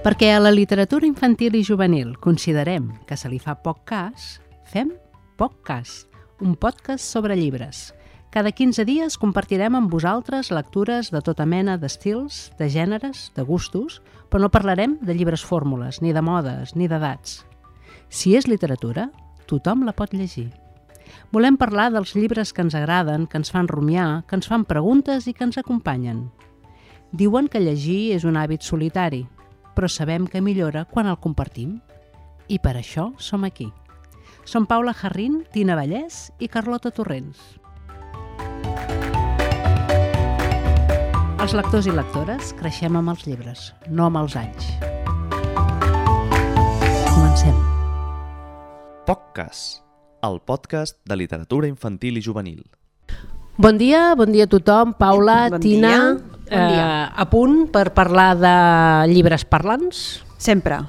Perquè a la literatura infantil i juvenil considerem que se li fa poc cas, fem poc cas, un podcast sobre llibres. Cada 15 dies compartirem amb vosaltres lectures de tota mena d'estils, de gèneres, de gustos, però no parlarem de llibres fórmules, ni de modes, ni d'edats. Si és literatura, tothom la pot llegir. Volem parlar dels llibres que ens agraden, que ens fan rumiar, que ens fan preguntes i que ens acompanyen. Diuen que llegir és un hàbit solitari, però sabem que millora quan el compartim. I per això som aquí. Som Paula Jarrín, Tina Vallès i Carlota Torrents. Els lectors i lectores creixem amb els llibres, no amb els anys. Comencem. POCcast, el podcast de literatura infantil i juvenil. Bon dia a tothom. Paula, bon Tina, dia. A punt per parlar de llibres parlants? Sempre.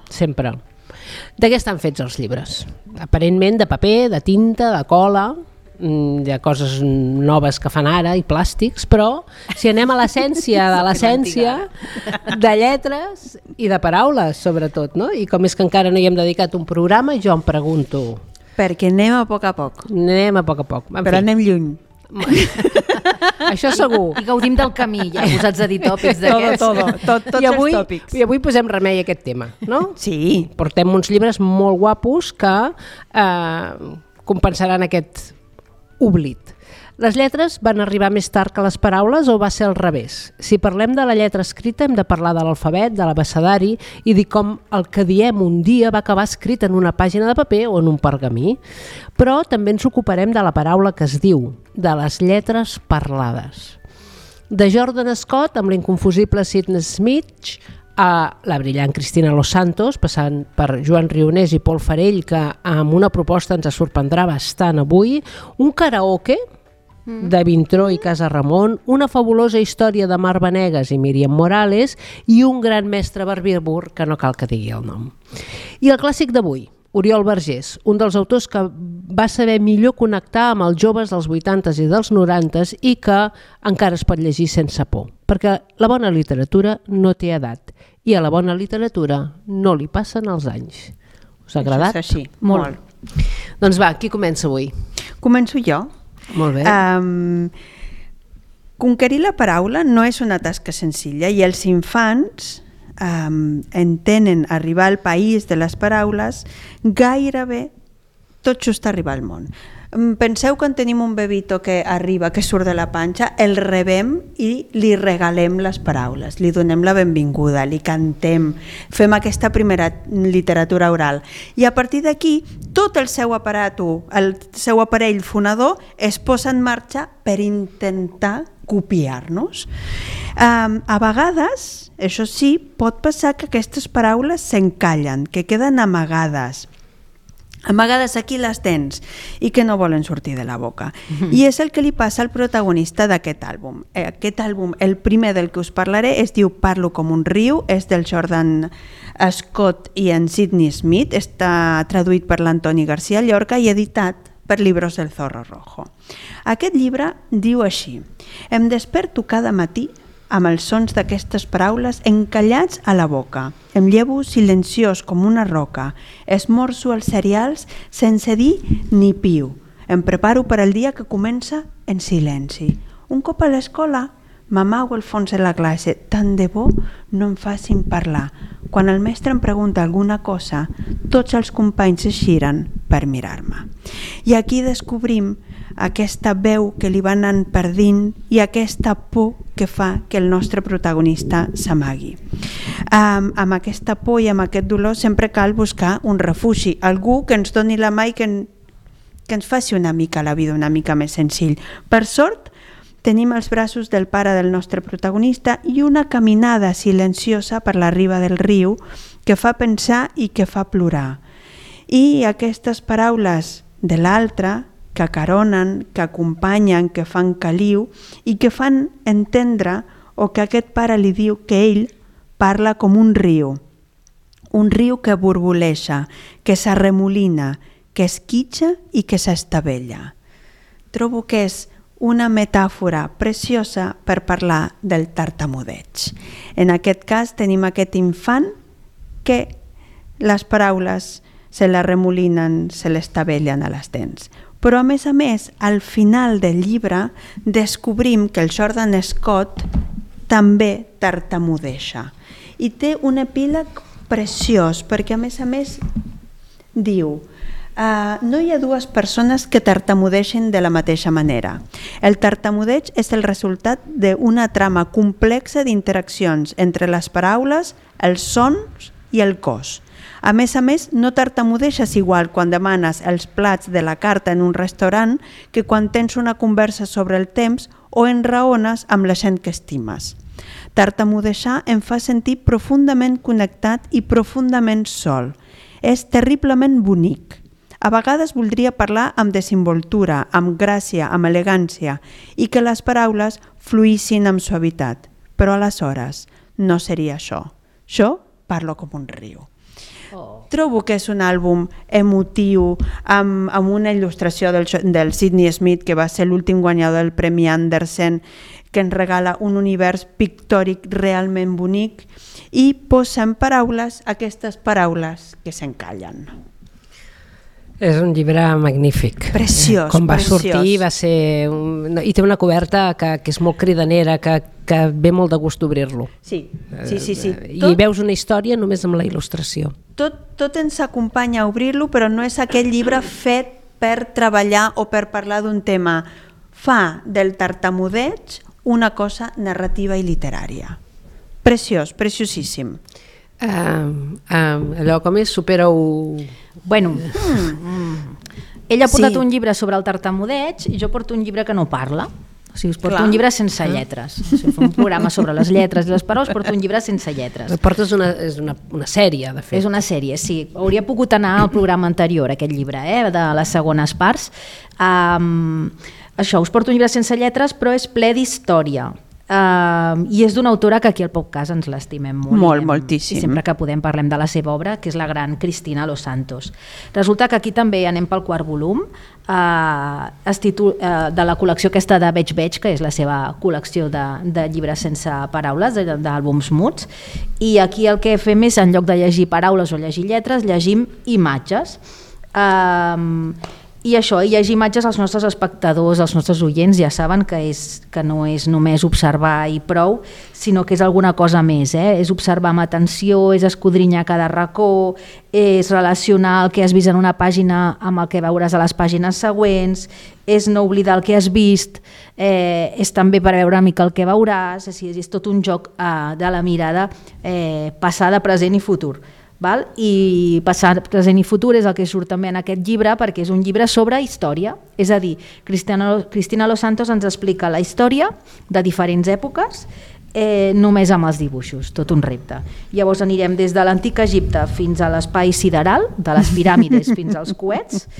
De què estan fets els llibres? Aparentment de paper, de tinta, de cola, de coses noves que fan ara i plàstics, però si anem a l'essència de l'essència, de lletres i de paraules, sobretot, no? I com és que encara no hi hem dedicat un programa, jo em pregunto... Perquè anem a poc a poc. Però anem lluny. Això segur. I gaudim del camí, ja posats a dir tòpics d'aquests. Tots els tòpics. I avui posem remei a aquest tema, no? Sí. Portem uns llibres molt guapos que compensaran aquest oblit. Les lletres van arribar més tard que les paraules o va ser al revés? Si parlem de la lletra escrita hem de parlar de l'alfabet, de l'abecedari i dir com el que diem un dia va acabar escrit en una pàgina de paper o en un pergamí. Però també ens ocuparem de la paraula que es diu, de les lletres parlades. De Jordan Scott amb l'inconfusible Sidney Smith a la brillant Cristina Los Santos, passant per Joan Rionés i Pol Farell, que amb una proposta ens sorprendrà bastant avui, un karaoke de Vintró i Casa Ramon, una fabulosa història de Mar Vanegas i Míriam Morales i un gran mestre barbívor que no cal que digui el nom. I el clàssic d'avui, Oriol Vergés, un dels autors que va saber millor connectar amb els joves dels 80s i dels 90s i que encara es pot llegir sense por, perquè la bona literatura no té edat i a la bona literatura no li passen els anys. Us ha agradat? Això és així, molt. Doncs va, qui comença avui? Començo jo. Molt bé. Conquerir la paraula no és una tasca senzilla i els infants entenen arribar al país de les paraules gairebé tot just arribar al món. Penseu que en tenim un bebito que arriba, que surt de la panxa, el rebem i li regalem les paraules, li donem la benvinguda, li cantem, fem aquesta primera literatura oral. I a partir d'aquí, tot el seu aparell fonador es posa en marxa per intentar copiar-nos. A vegades, això sí, pot passar que aquestes paraules s'encallen, que queden amagades aquí les dents i que no volen sortir de la boca. I és el que li passa al protagonista d'aquest àlbum. Aquest àlbum, el primer del que us parlaré, es diu Parlo com un riu, és del Jordan Scott i en Sidney Smith, està traduït per l'Antoni García Llorca i editat per Libros del Zorro Rojo. Aquest llibre diu així: em desperto cada matí amb els sons d'aquestes paraules encallats a la boca. Em llevo silenciós com una roca. Esmorzo els cereals sense dir ni piu. Em preparo per al dia que comença en silenci. Un cop a l'escola, m'amago al fons de la classe. Tant de bo no em facin parlar. Quan el mestre em pregunta alguna cosa, tots els companys es giren per mirar-me. I aquí descobrim aquesta veu que li va anant perdint i aquesta por que fa que el nostre protagonista s'amagui. Amb aquesta por i amb aquest dolor sempre cal buscar un refugi, algú que ens doni la mà i que ens faci una mica la vida una mica més senzill. Per sort, tenim els braços del pare del nostre protagonista i una caminada silenciosa per la riba del riu que fa pensar i que fa plorar. I aquestes paraules de l'altre que acaronen, que acompanyen, que fan caliu i que fan entendre o que aquest pare li diu que ell parla com un riu que borboleja, que s'arremolina, que esquitxa i que s'estavella. Trobo que és una metàfora preciosa per parlar del tartamudeig. En aquest cas tenim aquest infant que les paraules se les remolinen, se les tabellen a les dents. Però, a més, al final del llibre descobrim que el Jordan Scott també tartamudeja. I té un epíleg preciós, perquè, a més, diu: no hi ha dues persones que tartamudeixin de la mateixa manera. El tartamudeig és el resultat d'una trama complexa d'interaccions entre les paraules, els sons i el cos. A més, no tartamudeixes igual quan demanes els plats de la carta en un restaurant que quan tens una conversa sobre el temps o enraones amb la gent que estimes. Tartamudejar em fa sentir profundament connectat i profundament sol. És terriblement bonic. A vegades voldria parlar amb desenvoltura, amb gràcia, amb elegància i que les paraules fluïssin amb suavitat. Però aleshores no seria això. Jo parlo com un riu. Trobo que és un àlbum emotiu amb una il·lustració del Sidney Smith, que va ser l'últim guanyador del Premi Andersen, que ens regala un univers pictòric realment bonic i posa en paraules aquestes paraules que s'encallen. És un llibre magnífic. Preciós, Com va preciós. sortir va ser... I té una coberta que és molt cridanera, que ve molt de gust d'obrir-lo. Sí. I veus una història només amb la il·lustració. Tot ens acompanya a obrir-lo, però no és aquell llibre fet per treballar o per parlar d'un tema. Fa del tartamudeig una cosa narrativa i literària. Preciós, preciosíssim. Allò com és, supera-ho... Bueno, ella ha portat Sí. un llibre sobre el tartamudeig i jo porto un llibre que no parla. O sigui, us porto Clar. un llibre sense lletres. O sigui, fa un programa sobre les lletres i les paraules, porto un llibre sense lletres. Portes és una sèrie, de fet. És una sèrie, sí. Hauria pogut anar al programa anterior, aquest llibre, de les segones parts. Això, us porto un llibre sense lletres, però és ple d'història. I és d'una autora que aquí al podcast ens l'estimem molt. Moltíssim. I sempre que podem parlem de la seva obra, que és la gran Cristina Los Santos. Resulta que aquí també anem pel quart volum de la col·lecció aquesta de Veig, que és la seva col·lecció de llibres sense paraules, d'àlbums muts, i aquí el que fem és, en lloc de llegir paraules o llegir lletres, llegim imatges. I això, i llegir imatges, els nostres espectadors, els nostres oients ja saben que no és només observar i prou, sinó que és alguna cosa més. És observar amb atenció, és escodrinyar cada racó, és relacionar el que has vist en una pàgina amb el que veuràs a les pàgines següents, és no oblidar el que has vist, és també per veure una mica el que veuràs, és tot un joc de la mirada passada, present i futur. Val? I passat, present i futur és el que surt també en aquest llibre, perquè és un llibre sobre història, és a dir, Cristina Los Santos ens explica la història de diferents èpoques només amb els dibuixos, tot un repte. Llavors anirem des de l'antic Egipte fins a l'espai sideral, de les piràmides fins als coets,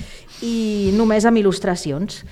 i només amb il·lustracions.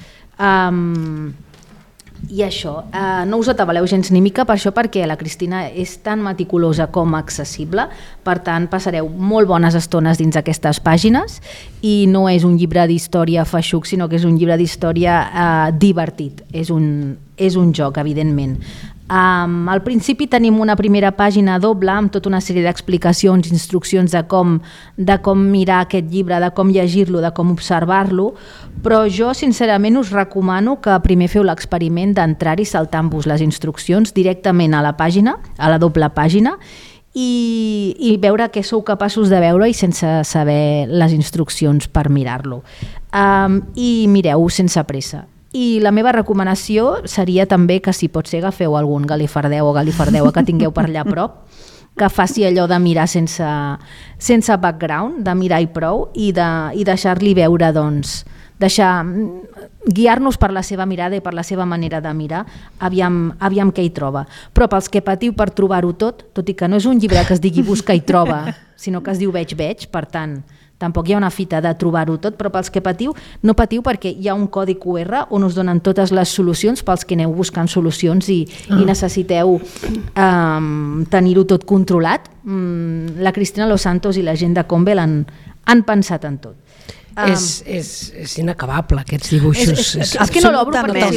I això, no us atabaleu gens ni mica per això, perquè la Cristina és tan meticulosa com accessible, per tant passareu molt bones estones dins aquestes pàgines, i no és un llibre d'història feixuc, sinó que és un llibre d'història divertit, és un joc, evidentment. Al principi tenim una primera pàgina doble amb tota una sèrie d'explicacions, instruccions de com mirar aquest llibre, de com llegir-lo, de com observar-lo, però jo sincerament us recomano que primer feu l'experiment d'entrar-hi saltant-vos les instruccions directament a la pàgina, a la doble pàgina, i veure què sou capaços de veure i sense saber les instruccions per mirar-lo. I mireu sense pressa. I la meva recomanació seria també que, si pot ser, agafeu algun galifardeu o galifardeu que tingueu per allà a prop, que faci allò de mirar sense background, de mirar i prou, i deixar-li veure, doncs, guiar-nos per la seva mirada i per la seva manera de mirar, aviam què hi troba. Però pels que patiu per trobar-ho tot i que no és un llibre que es digui Busca i troba, sinó que es diu Veig, per tant, tampoc hi ha una fita de trobar-ho tot, però pels que patiu, no patiu, perquè hi ha un codi QR on us donen totes les solucions pels que aneu buscant solucions i necessiteu tenir-ho tot controlat. La Cristina Los Santos i la gent de Convel han pensat en tot. És inacabable, aquests dibuixos. És que no l'obro perquè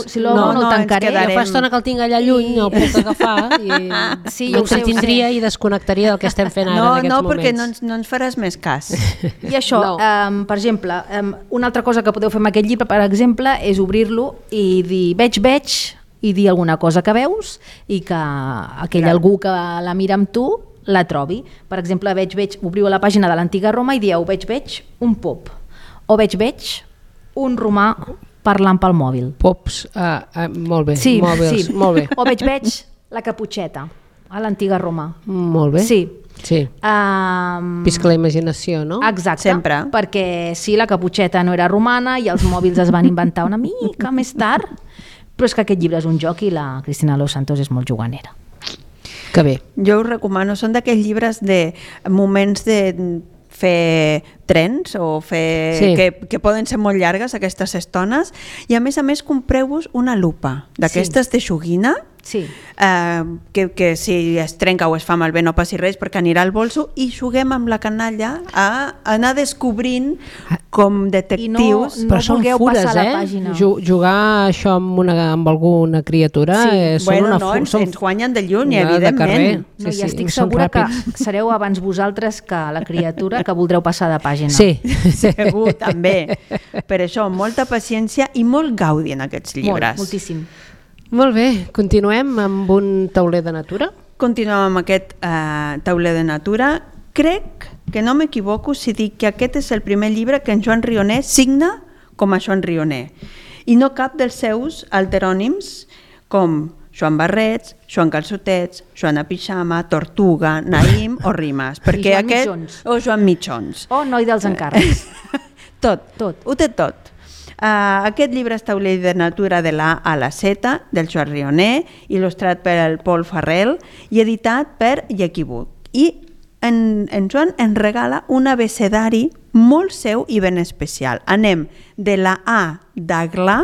si l'obro no el tancaré. Jo fa estona que el tinc allà lluny, no el puc agafar i Sí, m'entretindria i desconnectaria del que estem fent ara en aquests moments. No, perquè no ens faràs més cas. I això, per exemple, una altra cosa que podeu fer amb aquest llibre, per exemple, és obrir-lo i dir veig, i dir alguna cosa que veus i que aquell algú que la mira amb tu la trobi. Per exemple, obriu a la pàgina de l'antiga Roma i dieu veig un pop o veig un romà parlant pel mòbil. Pops, molt bé, Sí, mòbils, sí. molt bé. O veig la caputxeta a l'antiga Roma. Molt bé. Sí. Visca la imaginació, no? Exacte, Sempre. perquè sí, la caputxeta no era romana i els mòbils es van inventar una mica més tard, però és que aquest llibre és un joc i la Cristina Los Santos és molt juganera. Que bé. Jo us recomano, són d'aquells llibres de moments de fer trens o fer que poden ser molt llargues aquestes estones, i a més compreu-vos una lupa d'aquestes de joguina, que si es trenca o es fa malbé no passi res perquè anirà al bolso, i juguem amb la canalla a anar descobrint com detectius. I no vulgueu passar la pàgina. Jugar això amb alguna criatura ens guanyen de lluny, evidentment. No, i estic segura que sereu abans vosaltres que la criatura que voldreu passar de pàgina. Sí. Segur, també. Per això, molta paciència i molt gaudi en aquests llibres. Moltíssim. Molt bé, continuem amb un tauler de natura? Continuem amb aquest tauler de natura. Crec que no m'equivoco si dic que aquest és el primer llibre que en Joan Rioner signa com a Joan Rioner, i no cap dels seus alterònims com Joan Barrets, Joan Calçotets, Joana Pixama, Tortuga, Naïm o Rimes. Perquè Joan Mitjons. O Joan Mitjons. O Noi dels encàrrecs. Tot, ho té tot. Aquest llibre és Tauler de natura de la A a la Z, del Joan Rioner, il·lustrat per el Pol Farrell i editat per Llequibut. I en Joan ens regala un abecedari molt seu i ben especial. Anem de la A d'Aglà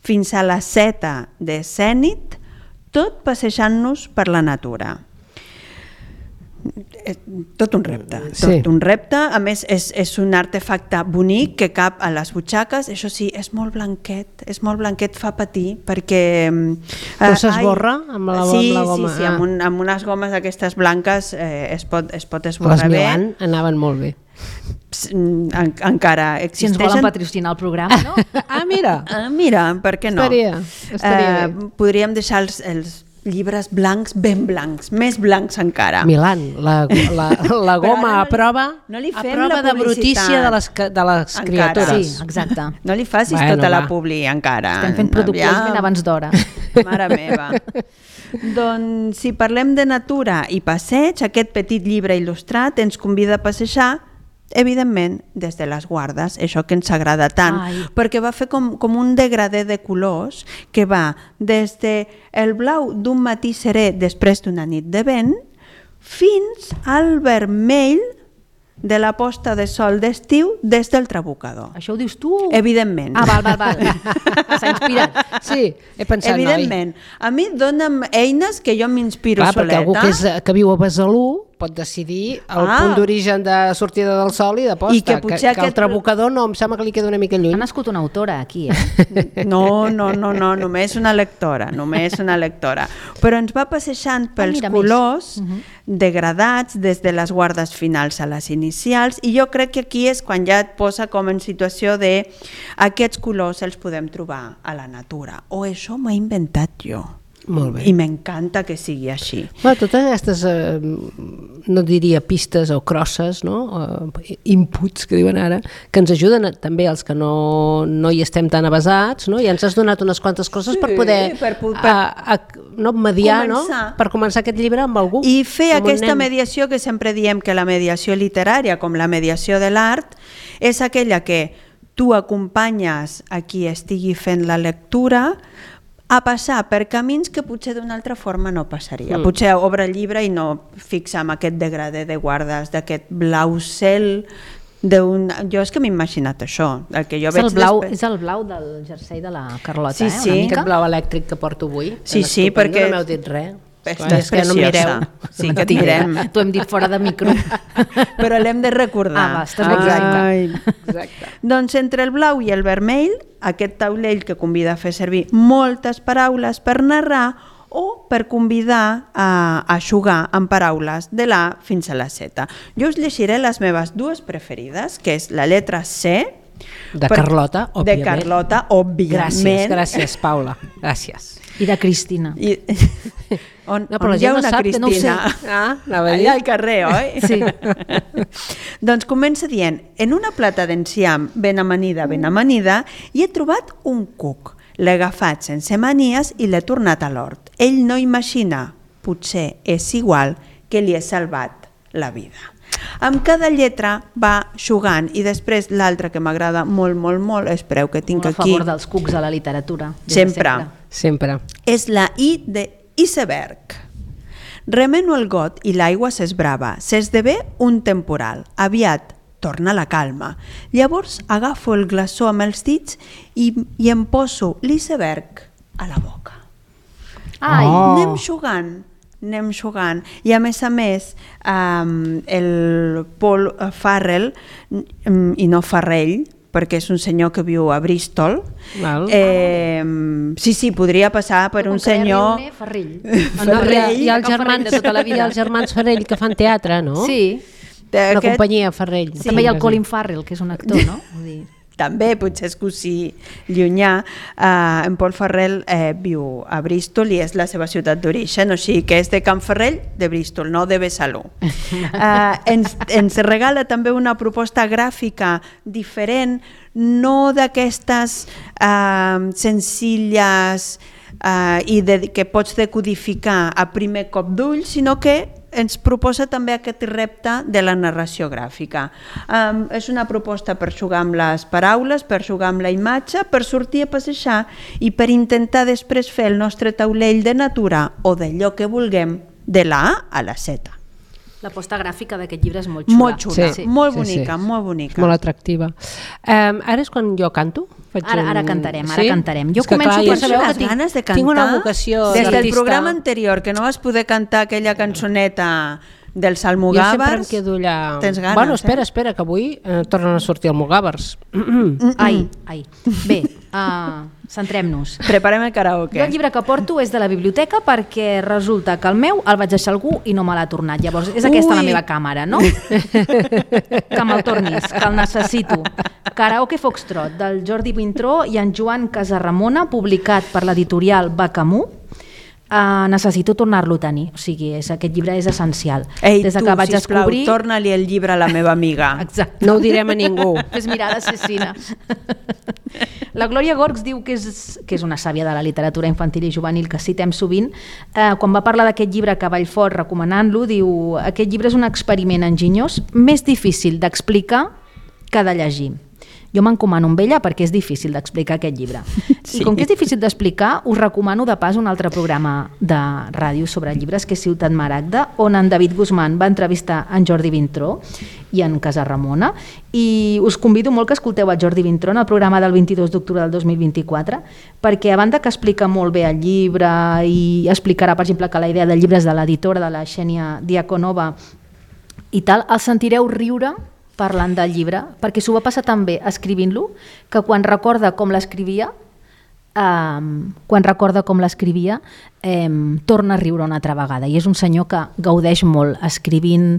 fins a la Z de Zènit, tot passejant-nos per la natura. Tot un repte, un repte. A més és un artefacte bonic que cap a les butxaques. Això sí, és molt blanquet, fa patir perquè no s'esborra amb la goma? Sí, amb unes gomes aquestes blanques es pot esborrar bé. Les Milan anaven molt bé. Encara existeixen. Si ens volen patrocinar el programa, no? Mira, per què no? Estaria bé. Podríem deixar els llibres blancs, ben blancs, més blancs encara. Milan, la goma a prova de brutícia de les criatures. Sí, exacte. No li facis tota la publi encara. Estem fent produccions ben abans d'hora. Mare meva. Doncs si parlem de natura i passeig, aquest petit llibre il·lustrat ens convida a passejar, evidentment, des de les Guardes, això que ens agrada tant, perquè va fer com un degradé de colors que va des del blau d'un matí serè després d'una nit de vent fins al vermell de la posta de sol d'estiu des del Trabucador. Això ho dius tu? Evidentment. Val. S'ha inspirat. Sí, he pensat, evidentment. A mi dona'm eines que jo m'inspiro soleta. Perquè algú que viu a Besalú pot decidir el punt d'origen de sortida del sol i de posta, que el Trabucador no, em sembla que li queda una mica lluny. Ha nascut una autora aquí, No, només una lectora, però ens va passejant pels colors degradats des de les Guardes finals a les inicials, i jo crec que aquí és quan ja et posa com en situació de aquests colors els podem trobar a la natura, o això m'ho he inventat jo. Molt bé. I m'encanta que sigui així. Totes aquestes, no diria pistes o crosses, no? Inputs que diuen ara, que ens ajuden també els que no hi estem tan avesats, no? I ens has donat unes quantes coses per poder mediar, no? Per començar aquest llibre amb algú. I fer aquesta mediació que sempre diem que la mediació literària, com la mediació de l'art, és aquella que tu acompanyes a qui estigui fent la lectura a passar per camins que potser d'una altra forma no passaria. Potser obre el llibre i no fixa en aquest degradé de Guardes, d'aquest blau cel. Jo és que m'he imaginat això. És el blau del jersei de la Carlota, sí, una mica. Aquest blau elèctric que porto avui. Sí, perquè no m'heu dit res. És que no preciosa. mireu. Sí, que et direm. T'ho hem dit fora de micro. Però l'hem de recordar. Va, estàs boníssima. Exacte. Doncs entre el blau i el vermell, aquest taulell que convida a fer servir moltes paraules per narrar o per convidar a jugar amb paraules de l'A fins a la Z. Jo us llegiré les meves dues preferides, que és la lletra C, De Carlota, òbviament. De Carlota, òbviament. Gràcies, Paula. Gràcies. I de Cristina. I, on No, però la hi ha gent no una sap que no ho sé. Cristina? Anava a dir. Allà al carrer, oi? Sí. Doncs comença dient: en una plata d'enciam ben amanida, hi he trobat un cuc. L'he agafat sense manies i l'he tornat a l'hort. Ell no imagina, potser és igual, que li he salvat la vida. Amb cada lletra va jugant i després l'altra que m'agrada molt, molt, molt, espereu que tinc Molt a aquí, favor dels cucs a la literatura. des de Sempre. és la I de iceberg. Remeno el got i l'aigua s'esbrava, s'esdevé un temporal. Aviat torna la calma. Llavors agafo el glaçó amb els dits i em poso l'iceberg a la boca. Ai, Oh. Anem jugant. I a més, el Paul Farrell, i no Farrell, perquè és un senyor que viu a Bristol, Val. sí, podria passar per un senyor... Farrill. I els Can Farrell de tota la vida. germans Farrell que fan teatre, no? Sí. La companyia Farrell. També hi ha el Colin Farrell, que és un actor, no? Vull dir... També, potser és cosí llunyà. En Paul Farrell viu a Bristol i és la seva ciutat d'origen, o sigui que és de Can Farrell, de Bristol, no de Besalú. Ens regala també una proposta gràfica diferent, no d'aquestes senzilles i que pots decodificar a primer cop d'ull, sinó que ens proposa també aquest repte de la narració gràfica. És una proposta per jugar amb les paraules, per jugar amb la imatge, per sortir a passejar i per intentar després fer el nostre taulell de natura o d'allò que vulguem de la A a la Z. La posta gràfica d'aquest llibre és molt xula. Molt xula, Sí. molt Sí, bonica, sí. molt bonica. Molt atractiva. Ara és quan jo canto? Ara cantarem, ara cantarem. Jo És que, començo clar, per ja sabeu això. que ganes de tinc una cantar. vocació Des del d'artista. programa anterior, que no vas poder cantar aquella cançoneta dels Jo sempre Almogàvers. em quedo allà... Tens ganes, Bueno, espera, que avui tornen a sortir Almogàvers. Ai. Bé, centrem-nos. Preparem el karaoke. Jo el llibre que porto és de la biblioteca perquè resulta que el meu el vaig deixar algú i no me l'ha tornat. Llavors, és aquesta la meva càmera, no? Que me'l tornis, que el necessito. Karaoke Foxtrot, del Jordi Vintró i en Joan Casarramona, publicat per l'editorial Bacamú. Necessito tornar-lo a tenir. O sigui, aquest llibre és essencial. Ei, Des de tu, que vaig sisplau, descobrir... torna-li el llibre a la meva amiga. Exacte. No ho direm a ningú. Fes mirada assassina. La Glòria Gorgs diu que és una sàvia de la literatura infantil i juvenil que citem sovint. Quan va parlar d'aquest llibre que Vallfort recomanant-lo, diu: aquest llibre és un experiment enginyós més difícil d'explicar que de llegir. Jo m'encomano amb ella perquè és difícil d'explicar aquest llibre. Sí. I com que és difícil d'explicar, us recomano de pas un altre programa de ràdio sobre llibres, que és Ciutat Maragda, on en David Guzmán va entrevistar en Jordi Vintró i en Casarramona, i us convido molt que escolteu a Jordi Vintró en el programa del 22 d'octubre del 2024, perquè a banda que explica molt bé el llibre i explicarà, per exemple, que la idea del llibre és de l'editora, de la Xènia Diakonova i tal, el sentireu riure parlant del llibre, perquè s'ho va passar tan bé escrivint-lo que quan recorda com l'escrivia torna a riure una altra vegada, i és un senyor que gaudeix molt escrivint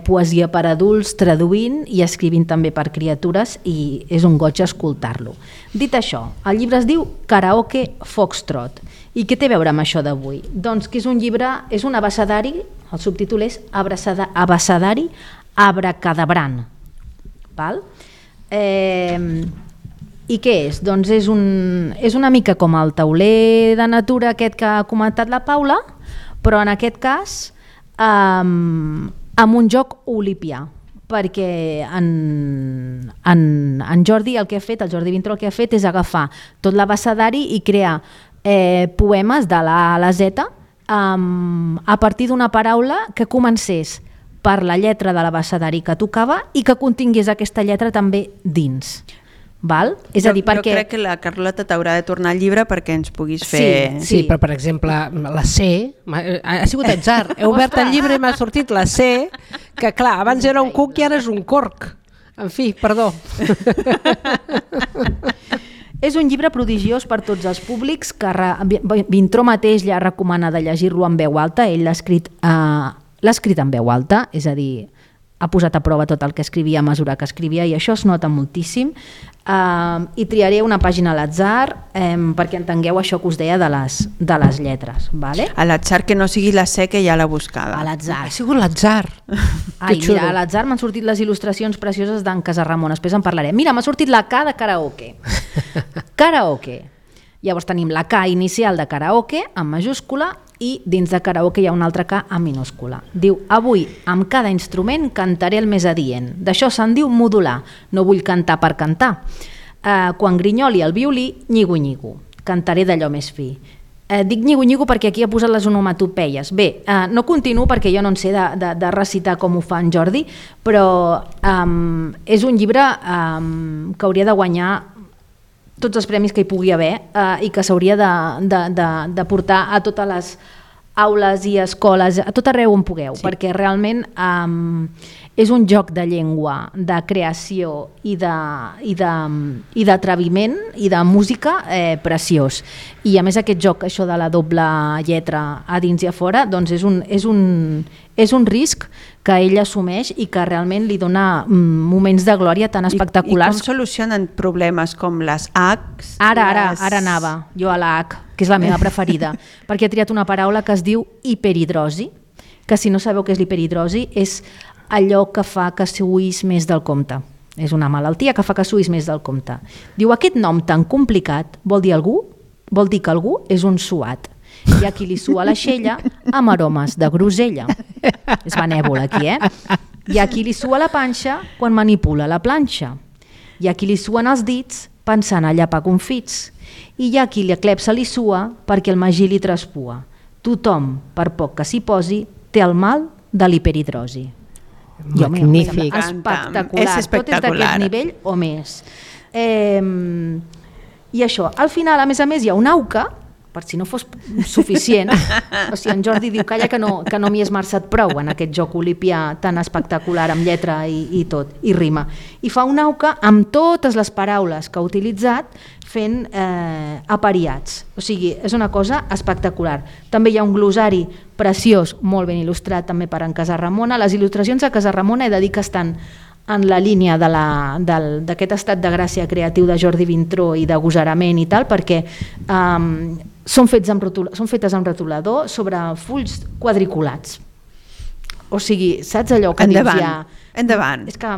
poesia per adults, traduint i escrivint també per criatures, i és un goig escoltar-lo. Dit això, el llibre es diu Karaoke Foxtrot. I què té a veure amb això d'avui? Doncs que és un llibre, és un abecedari, el subtítol és Abecedari Abracadabrant. Val? I què és? Doncs és una mica com el tauler de natura aquest que ha comentat la Paula, però en aquest cas amb un joc olipià, perquè en Jordi el que ha fet, el Jordi Vintró el que ha fet és agafar tot l'abecedari i crear poemes de la A a la Z a partir d'una paraula que comencés per la lletra de l'abecedari que tocava i que contingués aquesta lletra també dins. Val? És a dir, perquè... Jo crec que la Carlota t'haurà de tornar al llibre perquè ens puguis fer... Sí, però per exemple, la C, ha sigut atzar, he obert el llibre i m'ha sortit la C, que clar, abans era un cuc i ara és un corc. En fi, perdó. És un llibre prodigiós per tots els públics, que Vintró mateix ja recomana de llegir-lo en veu alta. Ell l'ha escrit en veu alta, és a dir, ha posat a prova tot el que escrivia a mesura que escrivia i això es nota moltíssim. I triaré una pàgina a l'atzar perquè entengueu això que us deia de les lletres. Vale? A l'atzar, que no sigui la C que ja l'ha buscada. A l'atzar. Ha sigut l'atzar. Ai, mira, a l'atzar m'han sortit les il·lustracions precioses d'en Casarramon, després en parlaré. Mira, m'ha sortit la K de karaoke. Karaoke. Llavors tenim la K inicial de karaoke en majúscula i dins de karaoke hi ha una altra K en minúscula. Diu, avui amb cada instrument cantaré el més adient. D'això se'n diu modular. No vull cantar per cantar. Quan grinyoli el violí, nyigo-nyigo. Cantaré d'allò més fi. Dic nyigo-nyigo perquè aquí ha posat les onomatopeies. Bé, no continuo perquè jo no en sé de recitar com ho fa en Jordi, però és un llibre que hauria de guanyar tots els premis que hi pugui haver i que s'hauria de portar a totes les aules i escoles, a tot arreu on pugueu, perquè realment és un joc de llengua, de creació i d'atreviment i de música preciós. I a més aquest joc, això de la doble lletra a dins i a fora, doncs és un risc que ell assumeix i que realment li dona moments de glòria tan espectaculars. I com solucionen problemes com les Hs? Ara anava jo a la H, que és la meva preferida, perquè he triat una paraula que es diu hiperhidrosi, que si no sabeu què és l'hiperhidrosi és allò que fa que suïs més del compte. És una malaltia que fa que suïs més del compte. Diu, aquest nom tan complicat vol dir que algú és un suat. Hi ha qui li sua la xella amb aromes de grosella. És benèvol aquí, Hi ha qui li sua la panxa quan manipula la planxa. Hi ha qui li suen els dits pensant a llapar confits. I hi ha qui li clepsa li sua perquè el magí li traspua. Tothom, per poc que s'hi posi, té el mal de l'hiperhidrosi. Magnífic. Espectacular. Tot és d'aquest nivell o més. I això, al final, a més, hi ha un auca, per si no fos suficient, o sigui, en Jordi diu, calla que no m'hi he esmerçat prou en aquest joc olipià tan espectacular amb lletra i tot, i rima. I fa un auca amb totes les paraules que ha utilitzat fent apariats. O sigui, és una cosa espectacular. També hi ha un glossari preciós, molt ben il·lustrat també per en Casarramona. Les il·lustracions a Casarramona he de dir que estan en la línia d'aquest estat de gràcia creatiu de Jordi Vintró i de gosarament i tal, perquè són fetes amb rotulador sobre fulls quadriculats. O sigui, saps allò que dius ja... Endavant. És que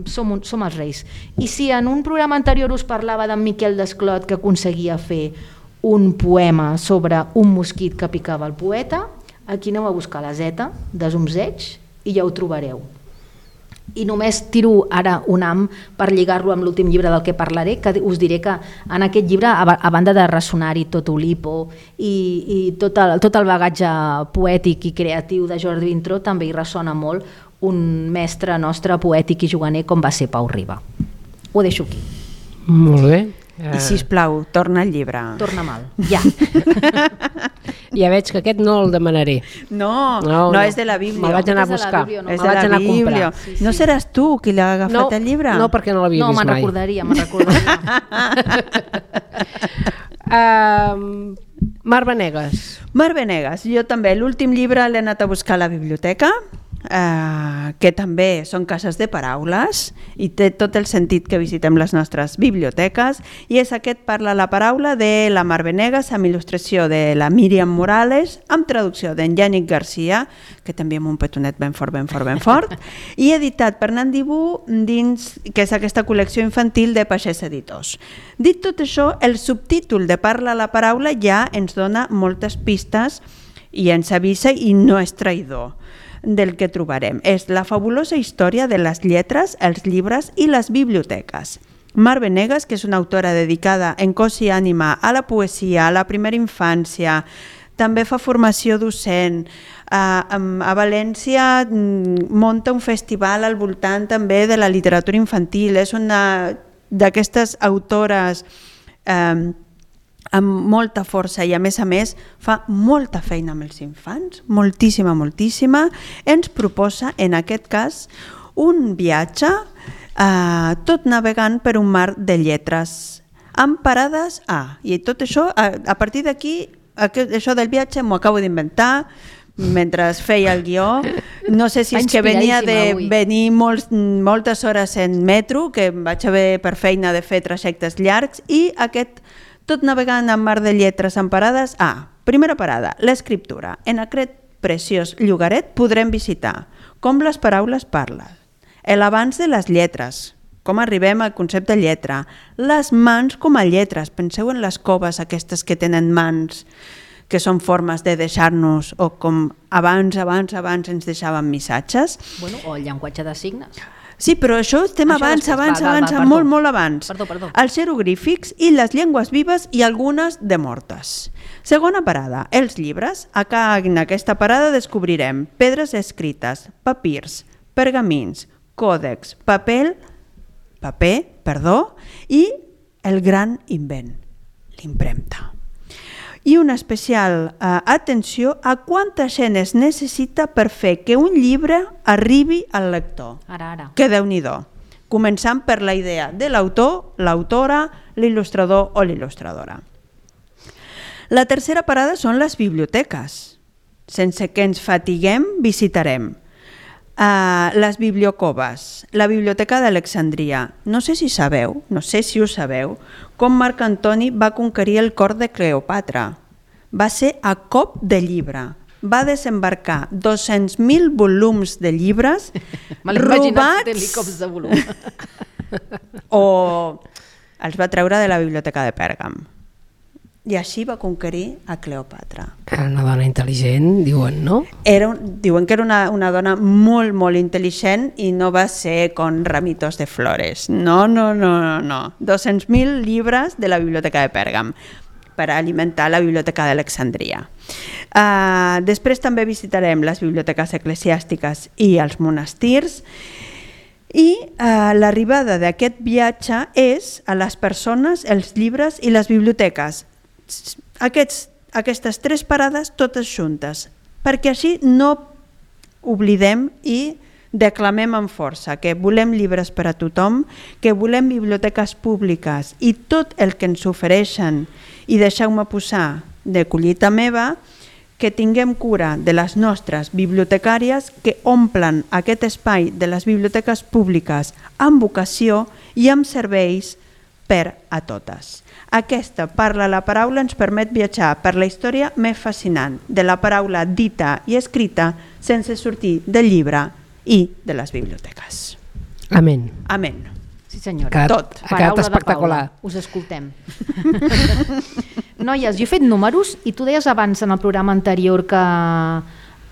som els reis. I si en un programa anterior us parlava d'en Miquel Desclot que aconseguia fer un poema sobre un mosquit que picava el poeta, aquí aneu a buscar la Z de Zumzeig i ja ho trobareu. I només tiro ara un am per lligar-lo amb l'últim llibre del que parlaré, que us diré que en aquest llibre, a banda de ressonar-hi tot Oulipo i tot el bagatge poètic i creatiu de Jordi Vintró, també hi ressona molt un mestre nostre poètic i juganer com va ser Pau Riba. Ho deixo aquí. Molt bé. I sisplau, torna al llibre. Torna mal, ja. Ja veig que aquest no el demanaré. No, és de la Bíblia. Me'l vaig anar a buscar. És de la Bíblia. No seràs tu qui l'ha agafat el llibre? No, perquè no l'havia vist mai. No, me'n recordaria. Mar Venegas. Mar Venegas. Jo també. L'últim llibre l'he anat a buscar a la biblioteca, que també són cases de paraules i té tot el sentit que visitem les nostres biblioteques, i és aquest Parla la paraula de la Mar Venegas amb il·lustració de la Míriam Morales, amb traducció d'en Yànic Garcia, que també amb un petonet ben fort, i editat per Nandibú dins, que és aquesta col·lecció infantil de Pagès Editors. Dit tot això, el subtítol de Parla la paraula ja ens dona moltes pistes i ens avisa i no és traïdor del que trobarem. És la fabulosa història de les lletres, els llibres i les biblioteques. Mar Venegas, que és una autora dedicada en cos i ànima a la poesia, a la primera infància, també fa formació docent. A València munta un festival al voltant també de la literatura infantil. És una d'aquestes autores amb molta força i a més fa molta feina amb els infants, moltíssima, ens proposa en aquest cas un viatge tot navegant per un mar de lletres amb parades i tot això, a partir d'aquí això del viatge m'ho acabo d'inventar mentre feia el guió. No sé si és que venia de venir moltes hores en metro, que vaig haver per feina de fer trajectes llargs, i aquest tot navegant en mar de lletres amb parades. Primera parada, l'escriptura. En aquest preciós llogaret podrem visitar com les paraules parlen, l'abans de les lletres, com arribem al concepte de lletra, les mans com a lletres. Penseu en les coves aquestes que tenen mans, que són formes de deixar-nos, o com abans ens deixaven missatges. O el llenguatge de signes. Sí, però això estem abans, molt abans. Perdó. Els jeroglífics i les llengües vives i algunes de mortes. Segona parada, els llibres. En aquesta parada descobrirem pedres escrites, papirs, pergamins, còdex, paper, i el gran invent, l'impremta. I una especial atenció a quanta gent es necessita per fer que un llibre arribi al lector. Ara. Que Déu-n'hi-do. Començant per la idea de l'autor, l'autora, l'il·lustrador o l'il·lustradora. La tercera parada són les biblioteques. Sense que ens fatiguem, visitarem les bibliocoves, la Biblioteca d'Alexandria. No sé si ho sabeu, com Marc Antoni va conquerir el cor de Cleopatra. Va ser a cop de llibre. Va desembarcar 200.000 volums de llibres robats de volum. o els va treure de la Biblioteca de Pèrgam. I així va conquerir a Cleopatra. Era una dona intel·ligent, diuen, no? Diuen que era una dona molt intel·ligent i no va ser con ramitos de flores. No. 200.000 llibres de la Biblioteca de Pèrgam per alimentar la Biblioteca d'Alexandria. Després també visitarem les biblioteques eclesiàstiques i els monestirs. I l'arribada d'aquest viatge és a les persones, els llibres i les biblioteques. Aquestes tres parades totes juntes, perquè així no oblidem i declamem amb força que volem llibres per a tothom, que volem biblioteques públiques i tot el que ens ofereixen, i deixeu-me posar de collita meva, que tinguem cura de les nostres bibliotecàries que omplen aquest espai de les biblioteques públiques amb vocació i amb serveis per a totes. Aquesta Parla la paraula ens permet viatjar per la història més fascinant de la paraula dita i escrita sense sortir del llibre i de les biblioteques. Amén. Amén. Sí senyora. Ha quedat espectacular. Us escoltem. Noies, jo he fet números i tu deies abans en el programa anterior que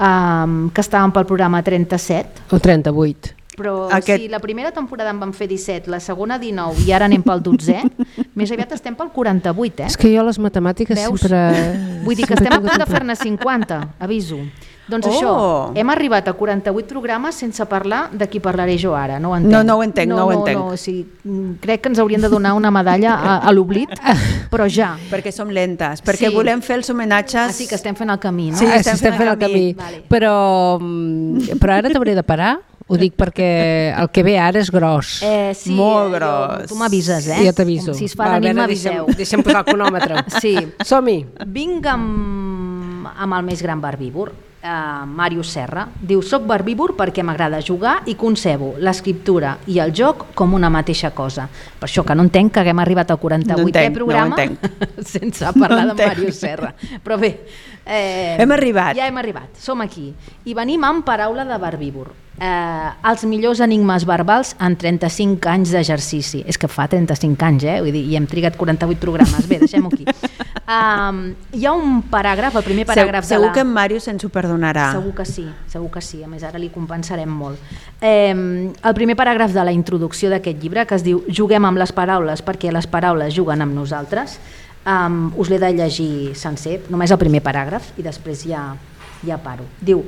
estàvem pel programa 37. O 38. Però si la primera temporada en vam fer 17, la segona 19 i ara anem pel 12è, més aviat estem pel 48, És que jo les matemàtiques sempre... Vull dir que estem a punt de fer-ne 50, aviso. Doncs això, hem arribat a 48 programes sense parlar de qui parlaré jo ara, no ho entenc. No ho entenc. No, sí, crec que ens haurien de donar una medalla a l'oblit, però ja. Perquè som lentes, perquè volem fer els homenatges... Sí, que estem fent el camí, no? Sí, estem fent el camí. Vale. Però ara t'hauré de parar. Ho dic perquè el que ve ara és gros. Sí, molt gros. Tu m'avises, Ja t'aviso. Si es fa de nit m'aviseu. Deixa'm posar el cronòmetre. Sí. Som-hi. Vinc amb el més gran barbívor, Màrius Serra. Diu, soc barbívor perquè m'agrada jugar i concebo l'escriptura i el joc com una mateixa cosa. Per això que no entenc que haguem arribat al 48è programa sense parlar de Màrius Serra. Però bé, hem arribat. Ja hem arribat, som aquí. I venim amb paraula de barbívor. Els millors enigmes verbals en 35 anys d'exercici. És que fa 35 anys, vull dir, i hem trigat 48 programes. Bé, deixem-ho aquí. Hi ha un paràgraf, el primer paràgraf segur que en Màrius ens ho perdonarà. Segur que sí, a més ara li compensarem molt. El primer paràgraf de la introducció d'aquest llibre, que es diu Juguem amb les paraules perquè les paraules juguen amb nosaltres, us l'he de llegir sencer, només el primer paràgraf i després ja paro. Diu,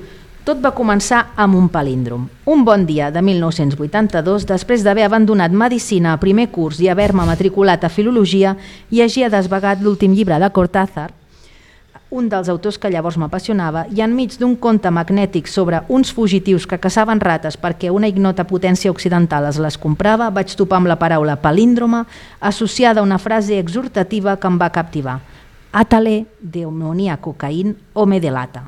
Tot va començar amb un palíndrom. Un bon dia de 1982, després d'haver abandonat medicina a primer curs i haver-me matriculat a filologia, llegia desvagat l'últim llibre de Cortázar, un dels autors que llavors m'apassionava, i enmig d'un conte magnètic sobre uns fugitius que caçaven rates perquè una ignota potència occidental es les comprava, vaig topar amb la paraula palíndroma associada a una frase exhortativa que em va captivar. Atale demonia cocaïn home de lata.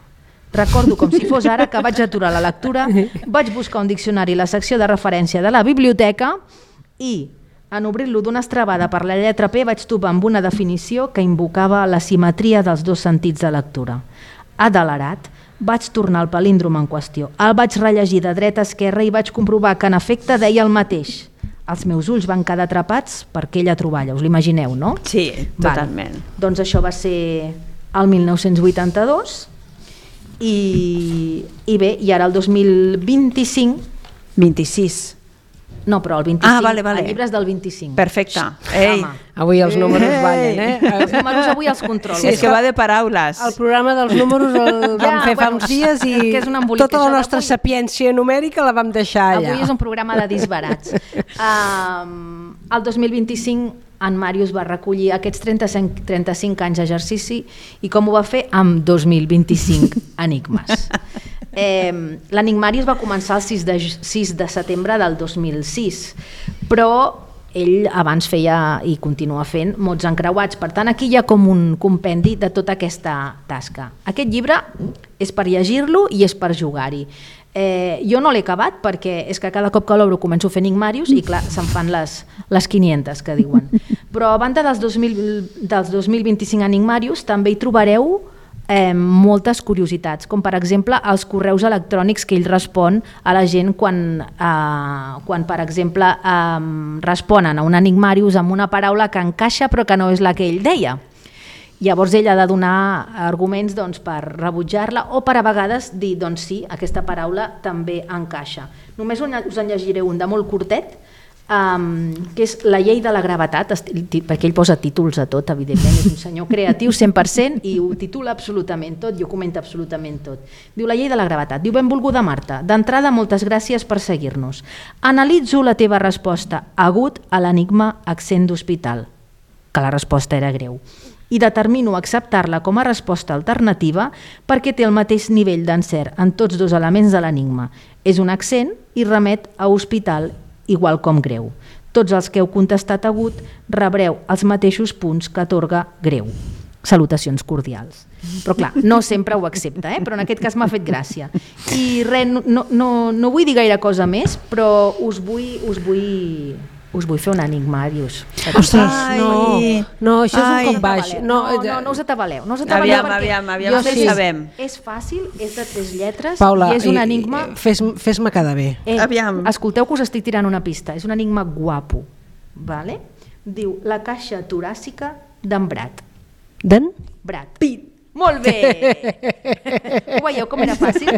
Recordo com si fos ara que vaig aturar la lectura, vaig buscar un diccionari a la secció de referència de la biblioteca i, en obrir-lo d'una estrabada per la lletra P, vaig topar amb una definició que invocava la simetria dels dos sentits de lectura. Adelerat, vaig tornar al palíndrom en qüestió. El vaig rellegir de dreta a esquerra i vaig comprovar que en efecte deia el mateix. Els meus ulls van quedar atrapats per aquella troballa, us l'imagineu, no? Sí, totalment. Doncs això va ser el 1982 i bé, i ara el 2025... 26. No, però el 25, vale. el llibre és del 25. Perfecte. Ei. Avui els números ballen, Els números avui els controlen. Sí, és que va de paraules. El programa dels números el vam fer fa uns dies i tota la nostra sapiència numèrica la vam deixar allà. Avui és un programa de disbarats. El 2025 en Màrius va recollir aquests 35 anys d'exercici i com ho va fer? Amb 2025 enigmes. L'Enigmàrius va començar el 6 de setembre del 2006, però ell abans feia i continua fent mots encreuats, per tant aquí hi ha com un compendi de tota aquesta tasca. Aquest llibre és per llegir-lo i és per jugar-hi. Jo no l'he acabat perquè és que cada cop que l'obro començo a fer Enigmàrius i clar, se'n fan les 500 que diuen. Però a banda dels 2025 Enigmàrius també hi trobareu moltes curiositats, com per exemple els correus electrònics que ell respon a la gent quan per exemple, responen a un enigmàrius amb una paraula que encaixa però que no és la que ell deia. Llavors ell ha de donar arguments per rebutjar-la o per a vegades dir, doncs sí, aquesta paraula també encaixa. Només us en llegiré un de molt curtet, que és la llei de la gravetat, perquè ell posa títols a tot, evidentment, és un senyor creatiu 100% i ho titula absolutament tot i ho comenta absolutament tot. Diu la llei de la gravetat, diu benvolguda Marta, d'entrada moltes gràcies per seguir-nos. Analitzo la teva resposta agut a l'enigma accent d'hospital, que la resposta era greu, i determino acceptar-la com a resposta alternativa perquè té el mateix nivell d'encert en tots dos elements de l'enigma. És un accent i remet a hospital igual com greu. Tots els que heu contestat agut rebreu els mateixos punts que atorga greu. Salutacions cordials. Però clar, no sempre ho accepta, però en aquest cas m'ha fet gràcia. I res, no vull dir gaire cosa més, però us vull fer un enigmàrius. Ostres, no, això és un cop baix. No us atabaleu. Aviam, sí sabem. És fàcil, és de 3 lletres, Paula, i és un enigma... Fes-me quedar bé. Aviam. Escolteu que us estic tirant una pista, és un enigma guapo. Vale? Diu la caixa toràcica d'en Brat. D'en? Brat. Pit. Molt bé! Ho veieu com era fàcil?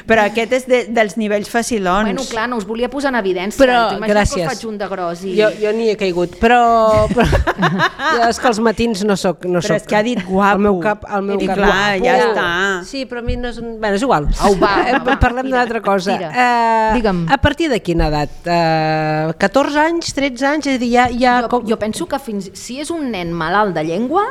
Però aquest és dels nivells facilons. Bueno, clar, no us volia posar en evidència. Però, gràcies. Que us faig un de gros. Jo n'hi he caigut, però és que els matins no soc. Però és que ha dit guapo. El meu cap clar, guapo. ja està. Sí, però a mi no és un... Bé, és igual. Parlem d'una altra cosa. Digue'm. A partir de quina edat? 14 anys, 13 anys? És a dir, ja... Jo penso que si és un nen malalt de llengua,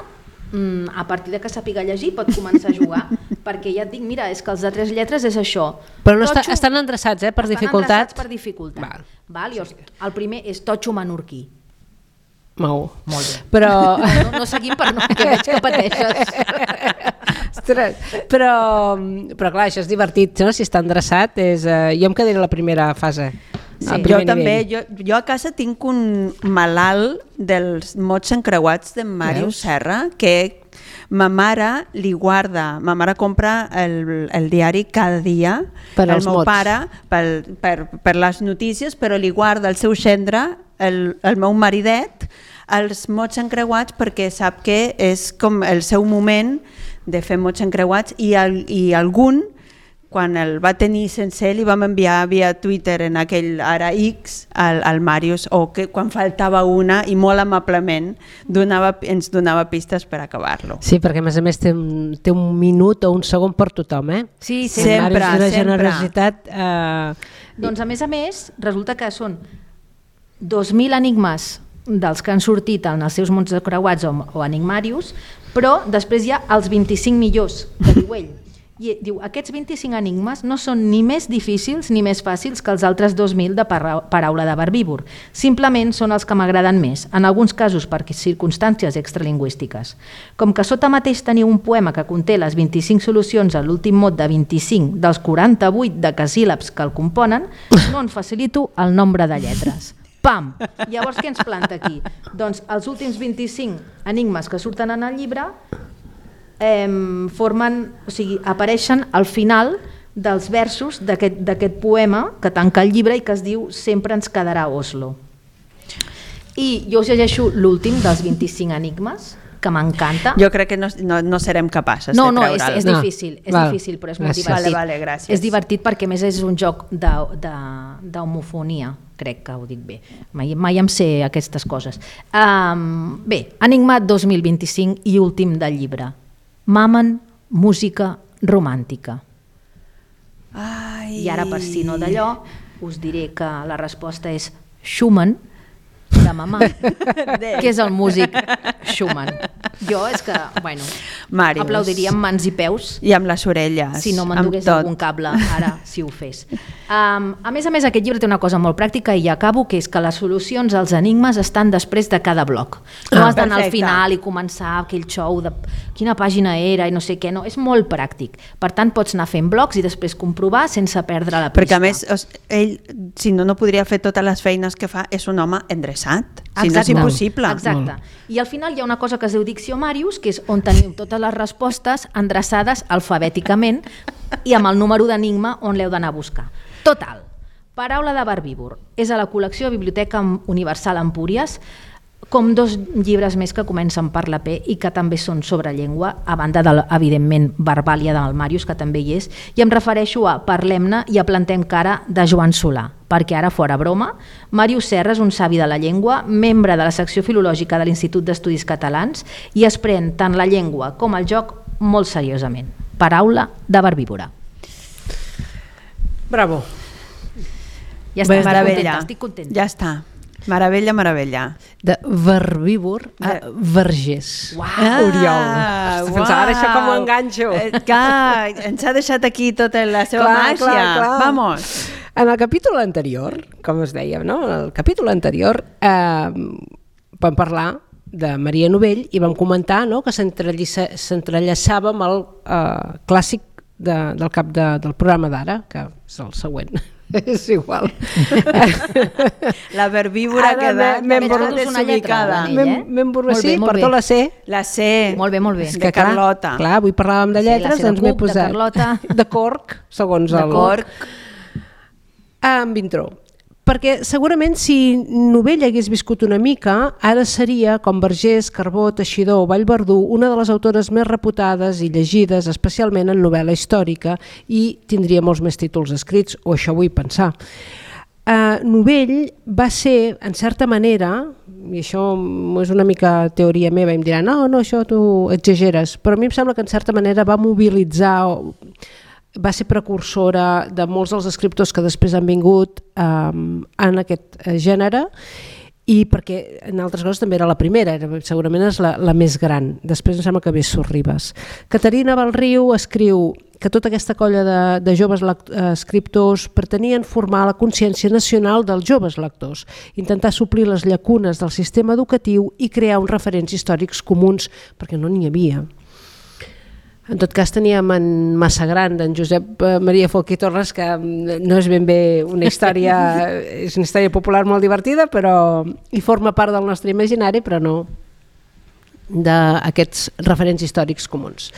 a partir de que sàpiga llegir pot començar a jugar, perquè ja et dic, mira, és que els de 3 lletres és això. Però no estan endreçats, per dificultat? Estan endreçats per dificultat. Val. El primer és totxo menorquí. Molt bé. Però... No seguim per no, que veig que pateixes. Ostres, però clar, això és divertit, no? Si està endreçat, jo em quedaré a la primera fase. Sí. Jo també, jo a casa tinc un malalt dels mots encreuats d'en Màrius Serra que ma mare li guarda, ma mare compra el diari cada dia per el meu pare per les notícies, però li guarda el seu gendre, el meu maridet, els mots encreuats perquè sap que és com el seu moment de fer mots encreuats i algun quan el va tenir sencer li vam enviar via Twitter en aquell ara X al Màrius, o que quan faltava una i molt amablement ens donava pistes per acabar-lo. Sí, perquè a més té un minut o un segon per tothom, eh? Sí, sempre, Màrius, una generositat... Doncs a més, resulta que són 2.000 enigmes dels que han sortit en els seus mons creuats o enigmarius, però després hi ha els 25 millors, que diu ell. I diu, aquests 25 enigmes no són ni més difícils ni més fàcils que els altres 2.000 de paraula de verbívor. Simplement són els que m'agraden més, en alguns casos per circumstàncies extralingüístiques. Com que sota mateix teniu un poema que conté les 25 solucions a l'últim mot de 25 dels 48 decasíl·labs que el componen, no en facilito el nombre de lletres. Pam! Llavors què ens planta aquí? Doncs els últims 25 enigmes que surten en el llibre apareixen al final dels versos d'aquest poema que tanca el llibre i que es diu Sempre ens quedarà Oslo. I jo us llegeixo l'últim dels 25 enigmes, que m'encanta. Jo crec que no serem capaces de treure'l. És difícil, difícil, però és molt divertit. Vale, gràcies. És divertit perquè a més és un joc d'homofonia, crec que ho dic bé. Mai em sé aquestes coses. Bé, Enigma 2025 i últim del llibre. Mamen, música romàntica. Ai. I ara, per si no d'allò, us diré que la resposta és Schumann, de mamà, que és el músic Schumann. Jo és que, bueno, Màrius, aplaudiria amb mans i peus. I amb les orelles. Si no m'endugués algun cable, ara, si ho fes. A més, aquest llibre té una cosa molt pràctica i ja acabo, que és que les solucions als enigmes estan després de cada bloc. No has d'anar al final i començar aquell show de quina pàgina era i no sé què, no, és molt pràctic. Per tant, pots anar fent blocs i després comprovar sense perdre la pista. Perquè a més, ell, si no podria fer totes les feines que fa, és un home endreçat. Si no és impossible. Exacte. I al final hi ha una cosa que es diu Diccionarius, que és on teniu totes les respostes endreçades alfabèticament i amb el número d'enigma on l'heu d'anar a buscar. Total, paraula de verbívor. És a la col·lecció Biblioteca Universal Empúries, com 2 llibres més que comencen per la P i que també són sobre llengua, a banda de, evidentment, Verbàlia del Màrius, que també hi és, i em refereixo a Parlem-ne i a Plantem cara de Joan Solà, perquè ara, fora broma, Màrius Serra és un savi de la llengua, membre de la secció filològica de l'Institut d'Estudis Catalans i es pren tant la llengua com el joc molt seriosament. Paraula de verbívora. Bravo. Ja està, meravella. estic contenta. Ja està. Meravella, meravella. De verbívor a vergers. Oriol. Pensava ara això com ho enganxo. Clar, ens ha deixat aquí tota la seva màgia. Clar. Vamos. En el capítol anterior, com es deia, no? En el capítol anterior vam parlar de Maria Novell i vam comentar, no, que s'entrellaçava amb el clàssic del cap del programa d'ara, que és el següent. És igual. La verbívora que m'he desubicada. M'he emborrassit, perdó, la C. La C. Molt bé. De Carlota. Clar, avui parlàvem de lletres, doncs m'he posat de corc, segons el... De corc. En Vintró. Perquè segurament si Novell hagués viscut una mica, ara seria, com Vergés, Carbó, Teixidor o Vallverdú, una de les autores més reputades i llegides, especialment en novel·la històrica, i tindria molts més títols escrits, o això vull pensar. Novell va ser, en certa manera, i això és una mica teoria meva, i em diran, no, això tu exageres, però a mi em sembla que en certa manera va mobilitzar... va ser precursora de molts dels escriptors que després han vingut en aquest gènere i perquè en altres coses també era la primera, segurament és la més gran, després em sembla que ve Sorribes. Caterina Balriu escriu que tota aquesta colla de joves escriptors pretenien formar la consciència nacional dels joves lectors, intentar suplir les llacunes del sistema educatiu i crear uns referents històrics comuns, perquè no n'hi havia. En tot cas teníem en Massagran, d'en Josep Maria Folch i Torres, que no és ben bé una història, és una història popular molt divertida, però hi forma part del nostre imaginari, però no d'aquests referents històrics comuns.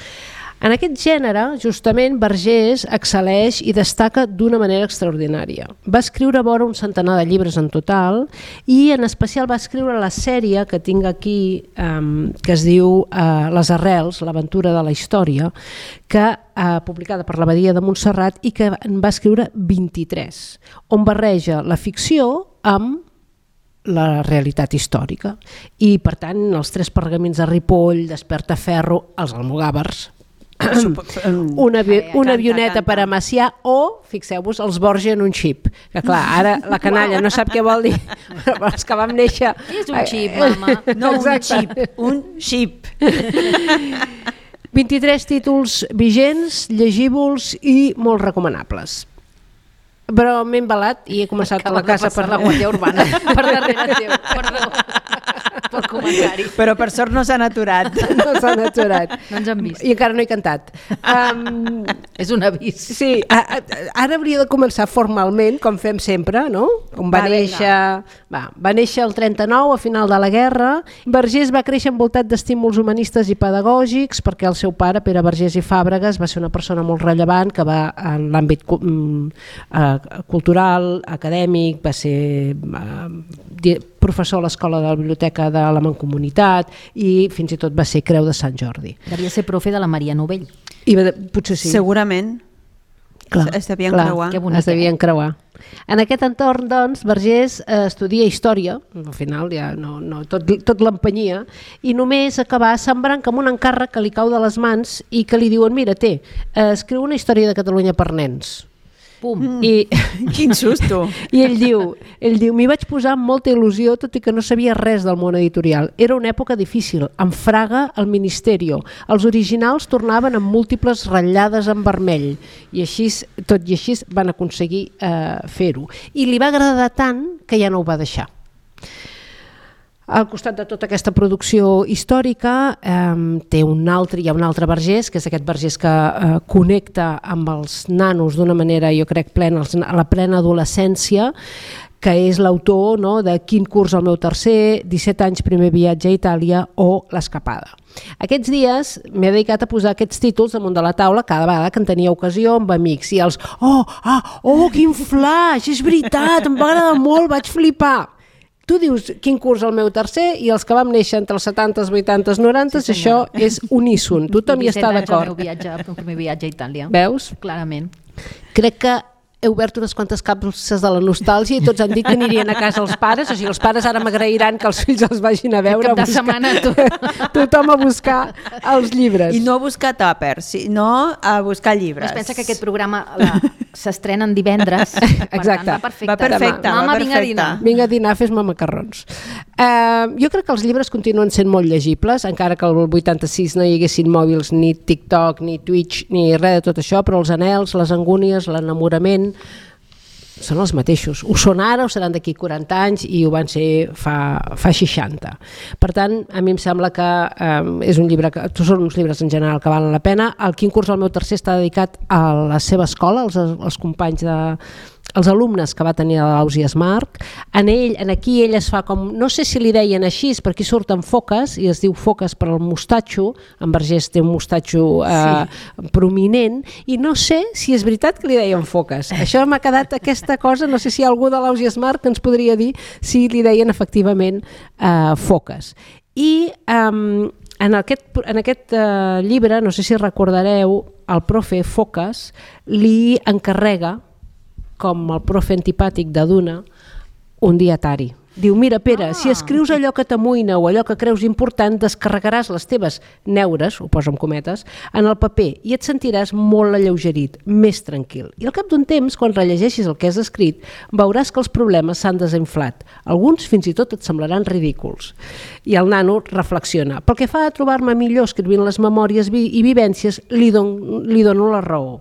En aquest gènere, justament, Vergés excel·leix i destaca d'una manera extraordinària. Va escriure vora un centenar de llibres en total i en especial va escriure la sèrie que tinc aquí, que es diu Les arrels, l'aventura de la història, que publicada per l'Abadia de Montserrat i que en va escriure 23, on barreja la ficció amb la realitat històrica. I, per tant, els 3 pergamins de Ripoll, Despertaferro, els almogàvers, una avioneta per a Macià o, fixeu-vos, els Borja en un xip. Que clar, ara la canalla no sap què vol dir, però els que vam néixer... És un xip, mama. No un xip. 23 títols vigents, llegívols i molt recomanables. Però m'he embalat i he començat a la casa per la Guàrdia Urbana, per darrere teu, perdó, pel comentari. Però per sort no s'han aturat. No s'han aturat. No ens han vist. I encara no he cantat. És un avís. Sí, ara hauria de començar formalment, com fem sempre, no? On va néixer el 39, a final de la guerra. Vergés va créixer envoltat d'estímuls humanistes i pedagògics, perquè el seu pare, Pere Vergés i Fàbregas, va ser una persona molt rellevant que va en l'àmbit cultural, acadèmic, va ser professor a l'escola de la biblioteca de la Mancomunitat i fins i tot va ser Creu de Sant Jordi. Devia ser profe de la Maria Novell. Potser sí. Segurament. Clar, es devien creuar. Que bonic, es devien creuar. En aquest entorn, doncs, Vergés estudia història, al final ja tot l'empenyia, i només acabar sembrant com un encàrrec que li cau de les mans i que li diuen, mira, escriu una història de Catalunya per nens. Pum. Quin susto. I ell diu, m'hi vaig posar amb molta il·lusió, tot i que no sabia res del món editorial. Era una època difícil, amb Fraga al Ministerio. Els originals tornaven amb múltiples ratllades en vermell, i així, tot i així van aconseguir fer-ho. I li va agradar tant que ja no ho va deixar. Al costat de tota aquesta producció històrica hi ha un altre Vergés, que és aquest Vergés que connecta amb els nanos d'una manera, jo crec, a la plena adolescència, que és l'autor de Quin curs el meu tercer, 17 anys primer viatge a Itàlia o L'escapada. Aquests dies m'he dedicat a posar aquests títols damunt de la taula cada vegada que en tenia ocasió amb amics i els quin flash, és veritat, em va agradar molt, vaig flipar. Tu dius Quin curs el meu tercer i els que vam néixer entre els 70s, 80s, 90s, sí, això és uníson, tothom hi està d'acord. El primer viatge a Itàlia. Veus? Clarament. Crec que he obert unes quantes capses de la nostàlgia i tots han dit que anirien a casa els pares, o sigui, els pares ara m'agrairan que els fills els vagin a veure. Cap de setmana tothom a buscar els llibres. I no a buscar tàpers, sinó a buscar llibres. Es pensa que aquest programa s'estrenen divendres. Exacte. Va perfecte. Mama, vinga a dinar. Vinga a dinar, fes-me macarrons. Jo crec que els llibres continuen sent molt llegibles, encara que el 86 no hi haguessin mòbils, ni TikTok, ni Twitch, ni res de tot això, però els anhels, les angúnies, l'enamorament són els mateixos. Ho són ara, ho seran d'aquí 40 anys i ho van ser fa 60. Per tant, a mi em sembla que és un llibre són uns llibres en general que valen la pena. El Quin curs el meu tercer està dedicat a la seva escola, als companys els alumnes que va tenir a l'Ausias Marc. Aquí ell es fa com, no sé si li deien així, per aquí surten foques, i es diu foques per al mostatxo, en Vergés té un mostatxo prominent, i no sé si és veritat que li deien foques. Això m'ha quedat aquesta cosa, no sé si algú de l'Ausias Marc ens podria dir si li deien efectivament foques. I en aquest llibre, no sé si recordareu, el profe Foques li encarrega, com el profe antipàtic de Duna, un dietari. Diu, mira, Pere, si escrius allò que t'amoïna o allò que creus important, descarregaràs les teves neures, ho poso amb cometes, en el paper i et sentiràs molt alleugerit, més tranquil. I al cap d'un temps, quan rellegeixis el que has escrit, veuràs que els problemes s'han desinflat. Alguns fins i tot et semblaran ridículs. I el nano reflexiona. Pel que fa a trobar-me millor escrivint les memòries i vivències, li dono la raó.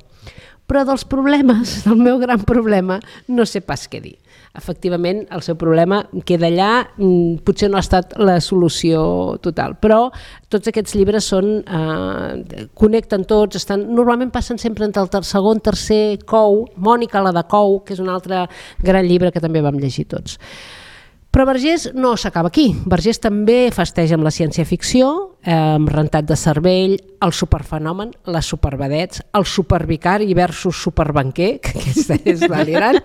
Però dels problemes, del meu gran problema, no sé pas què dir. Efectivament, el seu problema queda allà, potser no ha estat la solució total, però tots aquests llibres connecten tots, normalment passen sempre entre el segon, tercer, Cou, Mònica, la de Cou, que és un altre gran llibre que també vam llegir tots. Però Vergés no s'acaba aquí. Vergés també festeja amb la ciència-ficció, amb Rentat de cervell, el superfenomen, les supervedets, el supervicari versus superbanquer, que aquesta és delirant,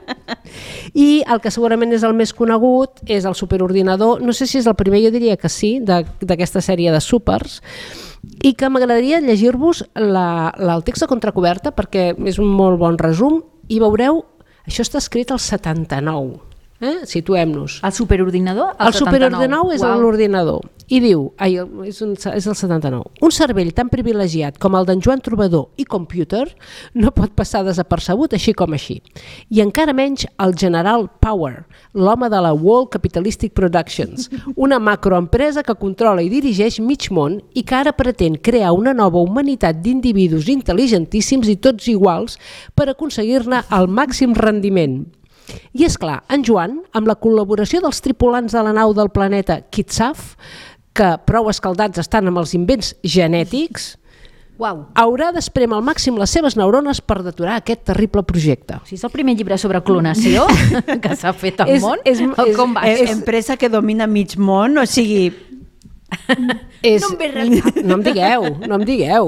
i el que segurament és el més conegut és el superordinador, no sé si és el primer, jo diria que sí, d'aquesta sèrie de súpers, i que m'agradaria llegir-vos el text de contracoberta perquè és un molt bon resum i veureu, això està escrit al 79. Situem-nos. El superordinador? El superordinador és l'ordinador i diu, és el 79, un cervell tan privilegiat com el d'en Joan Trobador i Computer no pot passar desapercebut així com així. I encara menys el General Power, l'home de la World Capitalistic Productions, una macroempresa que controla i dirigeix mig món i que ara pretén crear una nova humanitat d'individus intel·ligentíssims i tots iguals per aconseguir-ne el màxim rendiment. I és clar, en Joan, amb la col·laboració dels tripulants de la nau del planeta Kitsaf, que prou escaldats estan amb els invents genètics, haurà d'espremar al màxim les seves neurones per deturar aquest terrible projecte. Si és el primer llibre sobre clonació que s'ha fet al món, com va? És empresa que domina mig món, o sigui... No em digueu,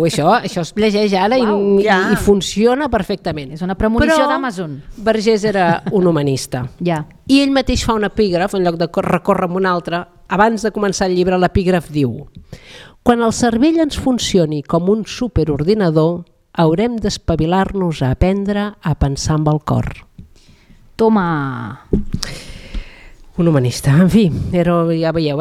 això es llegeix ara i funciona perfectament. És una premonició d'Amazon. Però Vergés era un humanista. I ell mateix fa un epígraf, en lloc de recórrer amb un altre, abans de començar el llibre l'epígraf diu: quan el cervell ens funcioni com un superordinador, haurem d'espavilar-nos a aprendre a pensar amb el cor. Toma! Un humanista, en fi, però ja veieu,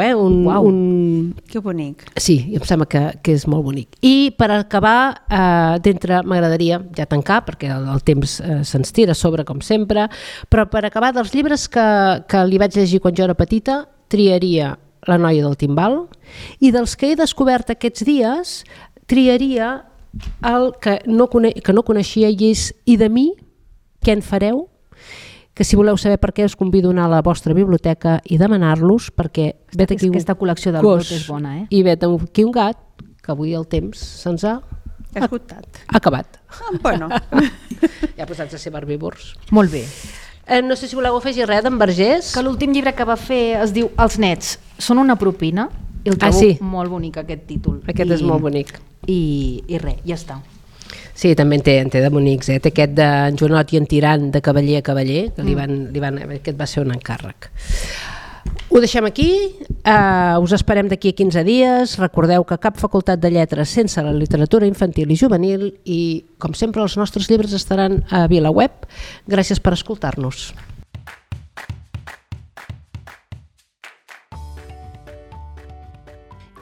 Que bonic. Sí, em sembla que és molt bonic. I per acabar, m'agradaria ja tancar, perquè el temps se'ns tira a sobre, com sempre, però per acabar dels llibres que li vaig llegir quan jo era petita, triaria La noia del timbal, i dels que he descobert aquests dies, triaria el que no coneixia i és I de mi, què en fareu? Que si voleu saber per què us convido a anar a la vostra biblioteca i demanar-los, perquè vet aquí aquesta col·lecció del Brot és bona, i vet aquí un gat, que avui el temps se'ns ha acabat. Bueno. Ja posats a ser herbívors. Molt bé. No sé si voleu afegir res d'en Vergés. Que l'últim llibre que va fer es diu Els nets són una propina, i el trobo molt bonic aquest títol. Aquest és molt bonic. I res, ja està. Sí, també en té de bonics. Té aquest d'en Joanot i en Tirant de cavaller a cavaller, que aquest va ser un encàrrec. Ho deixem aquí, us esperem d'aquí a 15 dies. Recordeu que cap facultat de lletres sense la literatura infantil i juvenil, i com sempre els nostres llibres estaran a VilaWeb. Gràcies per escoltar-nos.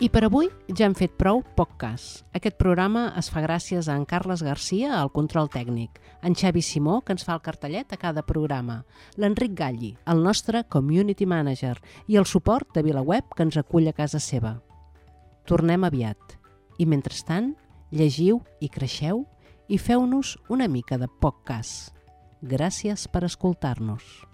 I per avui ja hem fet prou poc cas. Aquest programa es fa gràcies a en Carles Garcia, al control tècnic, en Xavi Simó, que ens fa el cartellet a cada programa, l'Enric Galli, el nostre community manager, i el suport de VilaWeb, que ens acull a casa seva. Tornem aviat. I mentrestant, llegiu i creixeu i feu-nos una mica de poc cas. Gràcies per escoltar-nos.